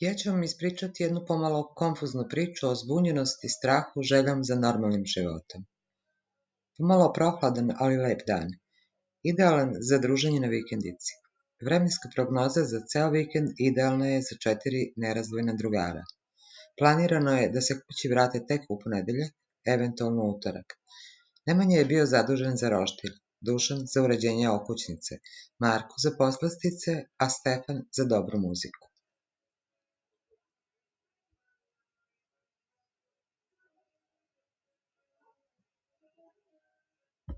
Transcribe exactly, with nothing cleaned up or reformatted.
Ja ću vam ispričati jednu pomalo konfuznu priču o zbunjenosti, strahu, željom za normalnim životom. Pomalo prohladan, ali lep dan. Idealan za druženje na vikendici. Vremenska prognoza za ceo vikend idealna je za četiri nerazdvojna drugara. Planirano je da se kući vrate tek u ponedeljak, eventualno utorak. Nemanja je bio zadužen za roštilj, Dušan za uređenje okućnice, Marko za poslastice, a Stefan za dobru muziku.